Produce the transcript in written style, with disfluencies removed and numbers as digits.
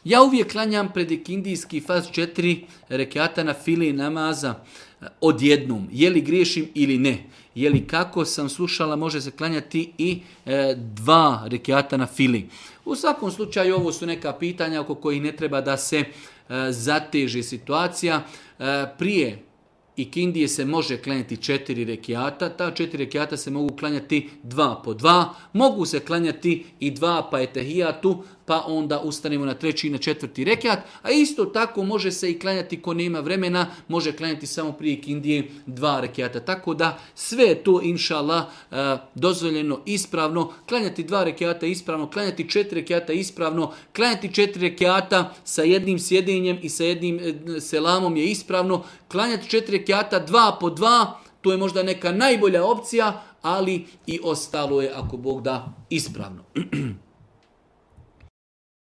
Ja uvijek klanjam pred ikindijski faz 4 rekata na fili namaza odjednom. Je li griješim ili ne? Je li kako sam slušala može se klanjati i 2 rekata na fili? U svakom slučaju ovo su neka pitanja oko kojih ne treba da se zateži situacija. Prije ikindije se može klanjati 4 rekiata, ta 4 rekiata se mogu klanjati 2 po 2, mogu se klanjati i 2 pa etehijatu, pa onda ustanemo na 3. i na 4. rekiat, a isto tako može se i klanjati ko nema vremena, može klanjati samo prije ikindije 2 rekiata. Tako da sve je to inša Allah dozvoljeno ispravno, klanjati 2 rekiata ispravno, klanjati 4 rekiata ispravno, klanjati 4 rekiata sa jednim sjedenjem i sa jednim selamom je ispravno, klanjati 4 rekiata 2 po 2, to je možda neka najbolja opcija, ali i ostalo je ako Bog da ispravno.